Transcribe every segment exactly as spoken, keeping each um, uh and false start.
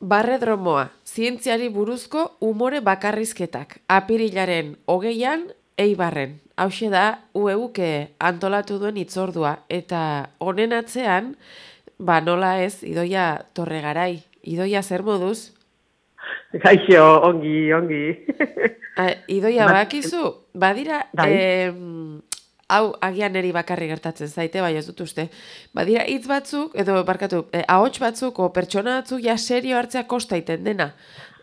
Barredromoa, zientziari buruzko umore bakarrizketak. Apirilaren hogeian, Eibarren. Hauxe da, U E U ke antolatu duen itzordua. Eta honen atzean, ba nola ez, Idoia Torregarai. Idoia zer moduz? Gaixo, ongi, ongi. A, Idoia, Bat, bakizu, badira, bai, em, hau agian neri bakarri gertatzen zaite, bai ez dut uste. Badira hitz batzuk, edo barkatu, eh, ahots batzuk, o pertsona batzuk ja serio hartzea kosta iten dena.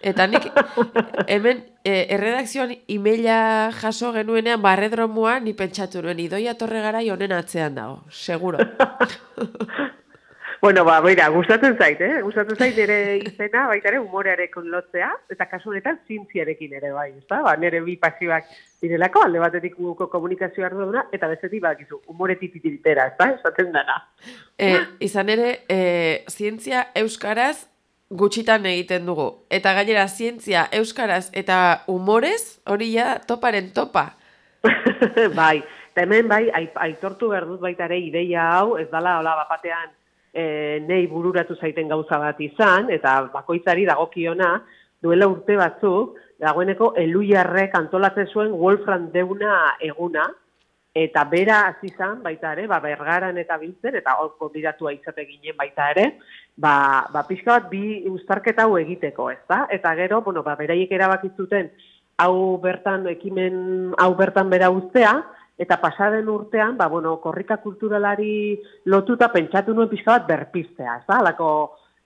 Eta nik hemen eh, erredakzioan emaila jaso genuenean barredromoa ni pentsatu nuen Idoia Torregarai honen atzean dago, seguro. bueno, ba, beira, gustatzen zait, eh? Gustatzen zait ere izena, baita ere, umorearekin lotzea, eta kasu honetan zientziarekin ere, bai, ezta? Ba, nire bi pasioak direlako, alde batetik guko komunikazio ardura, eta bestetik bakizu, umoretik titiritera, ezta? Esaten dana. E, izan ere, e, zientzia euskaraz gutxitan egiten dugu. Eta gainera, zientzia euskaraz eta umorez, hori ja toparen topa. bai, eta hemen bai, aitortu behar dut baita ere ideia hau, ez dala, hola, bapatean, e, nei bururatu zaiten gauza bat izan, eta bakoitzari dagokiona, duela urte batzuk, dagoeneko Eluiarrek antolatzen zuen Wolfram Deuna eguna, eta bera hasi izan baita ere, ba, Bergaran eta biltzen, eta hor konbidatua izate ginen baita ere, ba, ba pixka bat bi uztarketa hau egiteko, ezta? Eta gero, bueno, ba, beraiek erabakitzuten hau bertan, ekimen hau bertan bera uztea, eta pasaden urtean, ba, bueno, korrika kulturalari lotuta pentsatu nuen pixka bat berpiztea, ez da? Halako,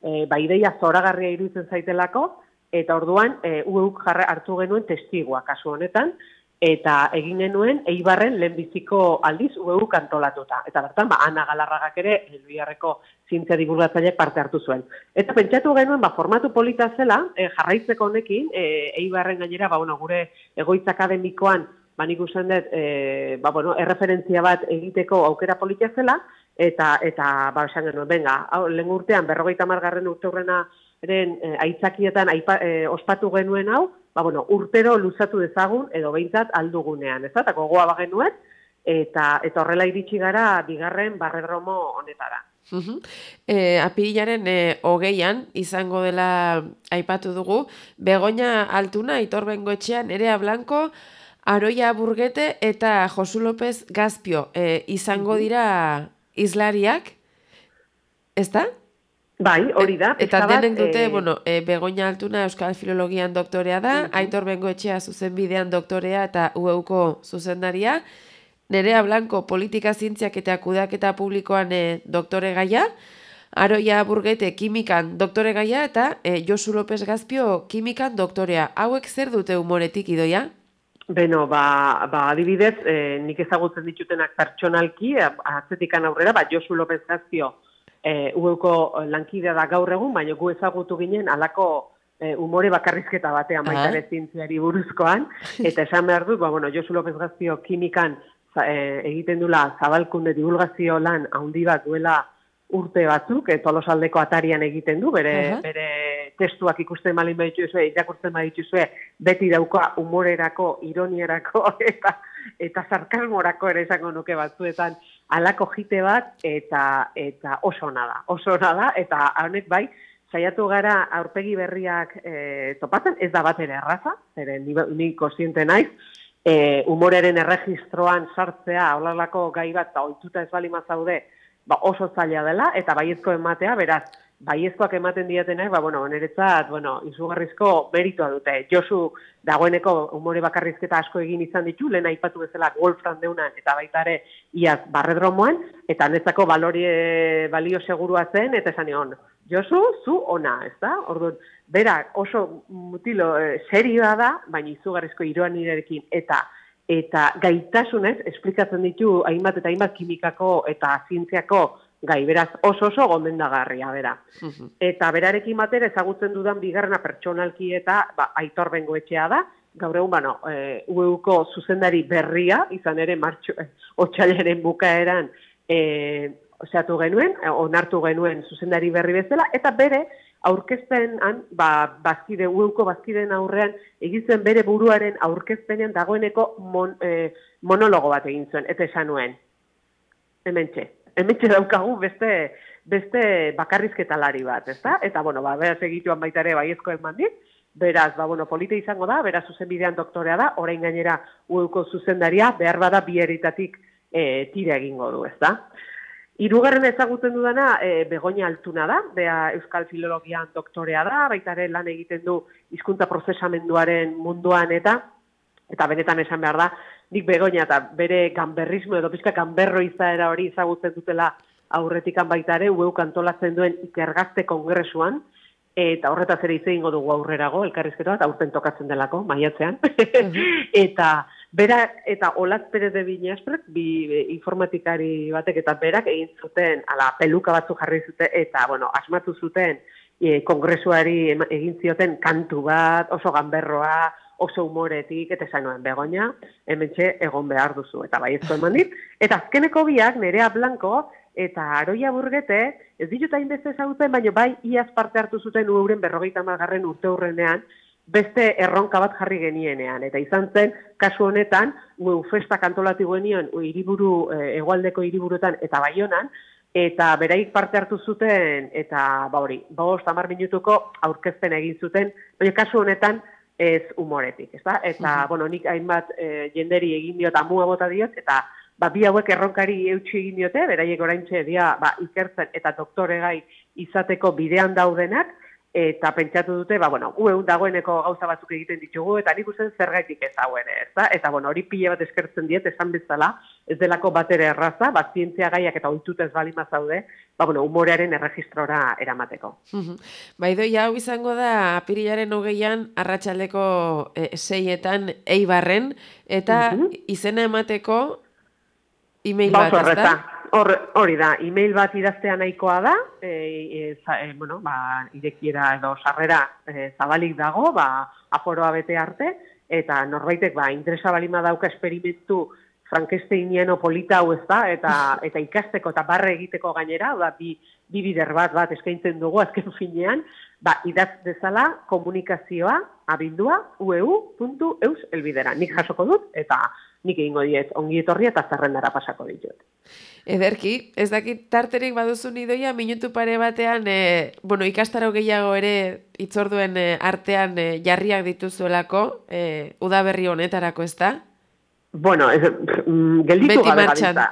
e, ba, ideia zoragarria iruditzen zaitelako, eta orduan, e, U E Uk jarra hartu genuen testigua kasu honetan, eta egin genuen Eibarren lehenbiziko aldiz U E Uk antolatuta. Eta bertan, ba, Ana Galarragak ere, Elbiarreko zientzia divulgatzaileak parte hartu zuen. Eta pentsatu genuen, ba, formatu polita zela, e, jarraitzeko honekin, e, Eibarren gainera, ba, bueno, gure egoitza akademikoan, ba, nik usten dut, e, ba, bueno, erreferentzia bat egiteko aukera polita zela, eta, eta ba, esan genuen, benga, hau, lehen urtean, berrogeita margarren urte hurrena, eren e, aitzakietan aipa, e, ospatu genuen hau, ba, bueno, urtero luzatu dezagun, edo behintzat aldugunean, ez da, eta gogoa bagenuen, eta, eta horrela iritsi gara bigarren barredromo honetara. Uhum. E, apirilaren e, hogeian izango dela aipatu dugu, Begoña Altuna, Aitor Bengoetxean, Nerea Blanco, Aroia Burgete eta Josu López Gazpio e, izango dira izlariak, ez da? Bai, hori da. Eta denek dute, e... bueno, e, Begoña Altuna Euskal Filologian doktorea da, uh -huh. Aitor Bengoetxea zuzenbidean doktorea eta U E Uko zuzendaria, Nerea Blanco politika zientziak eta kudeaketa publikoan e, doktore gaia, Aroia Burgete kimikan doktore gaia eta e, Josu López Gazpio kimikan doktorea. Hauek zer dute umoretik, Idoia? Beno, ba, ba adibidez, e, nik ezagutzen ditutenak pertsonalki, atzetikan aurrera, ba, Josu López Gazpio e, U E Uko lankidea da gaur egun, baina gu ezagutu ginen alako e, umore bakarrizketa batean baita ere zientziari buruzkoan, eta esan behar dut, ba, bueno, Josu López Gazpio kimikan e, egiten dula zabalkunde divulgazio lan handi bat duela urte batzuk, e, Tolosaldeko atarian egiten du, bere, uh -huh. bere testuak ikusten malin badituzue, irakurtzen badituzue, beti dauka humorerako, ironierako, eta eta sarkasmorako ere esango nuke batzuetan halako jite bat, eta eta oso ona da, oso ona da, eta honek bai, saiatu gara aurpegi berriak e, topatzen, ez da bat ere erraza, zeren ni, ni konsiente naiz, e, humoreren erregistroan sartzea, holalako gai bat, eta ohituta ez bali mazaude, ba, oso zaila dela, eta baiezko ematea, beraz, baiezkoak ematen diatenak, ba, bueno, niretzat, bueno, izugarrizko meritoa dute. Josu, dagoeneko umore bakarrizketa asko egin izan ditu, lehen aipatu bezala Wolfram Deunan, eta baita ere, iaz, barredromoan, eta netzako balorie, balio segurua zen, eta esan egon, Josu, zu ona, ez da? Orduan, bera, oso mutilo eh, serioa da, baina izugarrizko iroan nirekin, eta eta gaitasunez esplikatzen ditu hainbat eta hainbat kimikako eta zientziako gai, beraz oso oso gomendagarria, bera. Uh-huh. Eta berarekin batera ezagutzen dudan bigarrena pertsonalki eta ba, Aitor Bengoetxea da, gaur egun, bueno, e, U E Uko zuzendari berria, izan ere martxo, e, otsailaren bukaeran e, osatu genuen, onartu genuen zuzendari berri bezala, eta bere aurkezpenan, ba, bazkide, U E Uko bazkideen aurrean, egitzen bere buruaren aurkezpenean dagoeneko mon, eh, monologo bat egin zuen, eta esan nuen. Hementxe, hementxe daukagu beste beste bakarrizketalari bat, ezta? Eta, bueno, ba, beraz egituan baita ere baiezko eman dit, beraz, ba, bueno, polita izango da, beraz zuzenbidean doktorea da, orain gainera U E-ko zuzendaria, behar bada bi herritatik e, tira egingo du, ezta? Hirugarren ezagutzen dudana, e, Begoña Altuna da, bea Euskal Filologian doktorea da, baita ere lan egiten du hizkuntza prozesamenduaren munduan eta, eta benetan esan behar da, nik Begoña eta bere ganberrismo edo pizka ganberro izaera hori ezagutzen dutela aurretikan baita ere, U E-uk antolatzen duen ikergazte kongresuan, eta horretaz ere hitz egingo dugu aurrerago, elkarrizketa bat, aurten tokatzen delako, maiatzean. Eta berak, eta Olatz Perez de Viñasprek, bi informatikari batek eta berak egin zuten, ala, peluka batzu jarri zuten, eta, bueno, asmatu zuten, e, kongresuari egin zioten kantu bat, oso ganberroa, oso humoretik, eta esan nuen, Begoña, hementxe egon behar duzu, eta baiezko eman dit. Eta azkeneko biak, Nerea Blanco, eta Aroia Burgete, ez ditut hainbeste ezagutzen, baina bai iaz parte hartu zuten euren berrogeita hamargarren urte hurrenean, beste erronka bat jarri genienean. Eta izan zen, kasu honetan, U E U festak antolatu genioen hiriburu, hegoaldeko hiriburuetan eta Baionan, eta beraik parte hartu zuten, eta ba hori, bost hamar minutuko aurkezpen egin zuten, baina kasu honetan ez humoretik, ezta? Eta, bueno, nik hainbat e, jenderi egin diot, amua bota diot, eta ba, bi hauek erronkari eutxi egin diote, beraiek oraintxe dia ba, ikertzen eta doktoregai izateko bidean daudenak, eta pentsatu dute, ba, bueno, U E U dagoeneko gauza batzuk egiten ditugu, eta nik usten zergaitik ez dagoen, ezta? Eta, bueno, hori pile bat eskertzen diet, esan bezala, ez delako batere erraza, ba, zientzia gaiak eta ohitutez balima zaude, ba, bueno, humorearen erregistrora eramateko. Baidoi, hau izango da, apirilaren hogeian, arratsaldeko e, seietan Eibarren, eta izena emateko email bat, ez da? Hori da, email bat idaztea nahikoa da, e, e, za, e, bueno, ba, irekiera edo sarrera e, zabalik dago, ba, aforoa bete arte, eta norbaitek, ba, interesa balima dauka esperimentu Frankensteiniano polita hau ez da, eta, eta ikasteko eta barre egiteko gainera, da, bi, bi bider bat bat eskaintzen dugu azken finean, ba, idaz dezala komunikazioa abildua u e u puntu eus elbidera. Nik jasoko dut, eta nik egingo diet ongi etorri eta zerrendara pasako ditut. Ederki, ez dakit tarterik baduzu Idoia, minutu pare batean, e, bueno, ikastaro gehiago ere itzorduen e, artean e, jarriak dituzuelako, e, udaberri honetarako, ez da? Bueno, ez, mm, gelditu gabe gabiltza.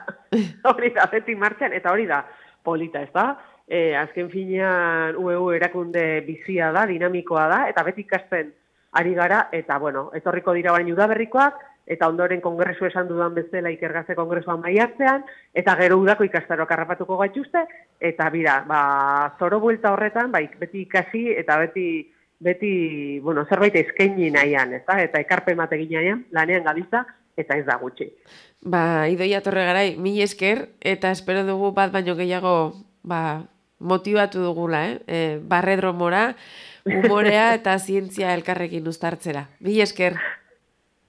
Hori da, beti martxan, eta hori da, polita, ez da? E, azken finean U E U erakunde bizia da, dinamikoa da, eta beti ikasten ari gara, eta bueno, etorriko dira baina udaberrikoak, eta ondoren kongresu esan dudan bezala ikergazte kongresuan maiatzean, eta gero udako ikastaroak harrapatuko gaituzte, eta bira, ba, zoro buelta horretan, ba, beti ikasi, eta beti, beti, bueno, zerbait eskaini nahian, ez da? Eta ekarpen bat egin nahian, lanean gabiltza, eta ez da gutxi. Ba, Idoia Torregarai, mil esker, eta espero dugu bat baino gehiago, ba, motibatu dugula, eh? E, barredromora, humorea eta zientzia elkarrekin uztartzera. Mil esker.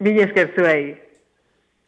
Mil esker zuei.